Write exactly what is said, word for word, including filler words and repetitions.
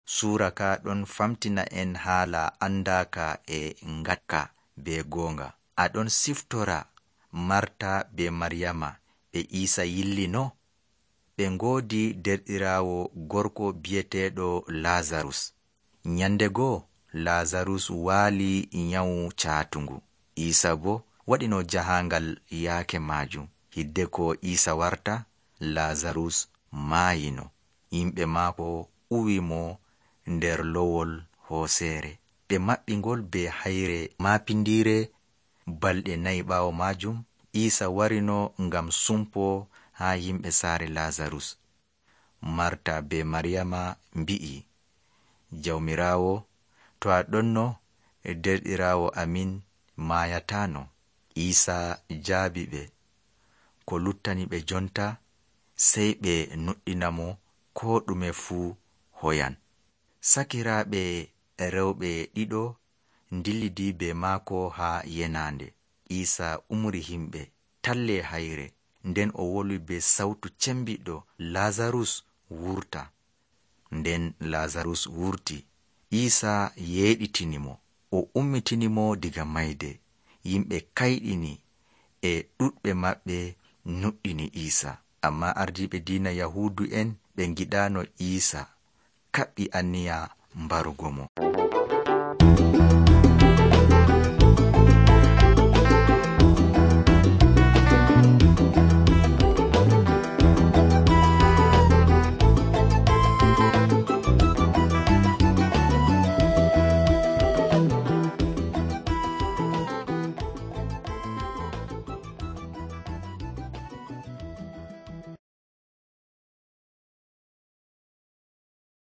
Suura ka ɗon famtina en haala andaaka e ngatka be goonga. Aɗon siftora Marta be Maryama ɓe Iisa yillino. Ɓe ngoodi derɗiraawo gorko bi'eteeɗo Lazarus. Nyande goo Lazarus waali nyawu caatungu. Iisa boo waɗino jahaangal yaake maajum. Hidde ko Iisa warta, Lazarus maayino. Yimɓe maako uwi mo nder lowol hooseere. Ɓe maɓɓi ngol be hayre maapindiire. Balɗe nayi ɓaawo maajum, Iisa warino ngam sumpoo haa yimɓe saare Lazarus. Marta be Maryama mbi'i, Jawmiraawo, to a ɗonno derɗiraawo amin maayataano. Iisa jaabi ɓe, ko luttani ɓe jonta sey ɓe nuɗɗina mo koo ɗume fuu hoyan. Sakiraaɓe rewɓe ɗiɗo ndillidii be maako haa yenaande. Iisa umri himɓe, tallee hayre, nden o wolwi be sawtu cembiɗɗo, Lazarus wurta. Nden Lazarus wurti. Iisa yeeɗitini mo, o ummitini mo diga mayde. Yimɓe kayɗini, e ɗuɗɓe maɓɓe nuɗɗini Iisa. Ammaa ardiiɓe diina Yahuudu'en ɓe ngiɗaano Iisa, kaɓɓi anniya mbarugo mo.